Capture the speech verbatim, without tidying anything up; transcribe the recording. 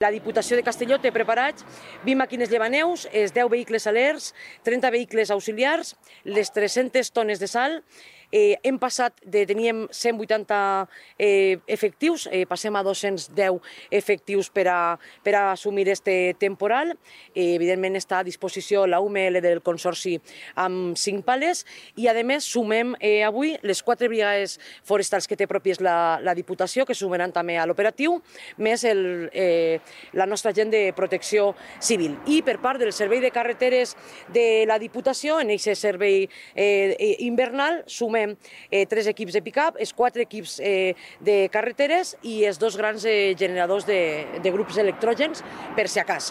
La Diputació de Castelló té preparats vint màquines llevaneus, els deu vehicles alers, trenta vehicles auxiliars, les tres-centes tones de sal. Eh, hem passat de teníem cent vuitanta eh, efectius, eh, passem a dos-cents deu efectius per a, per a assumir este temporal. Eh, evidentment està a disposició la U M L del Consorci amb cinc pales i a més sumem eh, avui les quatre brigades forestals que té pròpies la, la Diputació, que sumaran també a l'operatiu, més el, eh, la nostra gent de protecció civil. I per part del servei de carreteres de la Diputació, en aquest servei eh, invernal, sumem eh, tres equips de pick-up, els quatre equips eh, de carreteres i els dos grans eh, generadors de, de grups electrògens, per si a cas.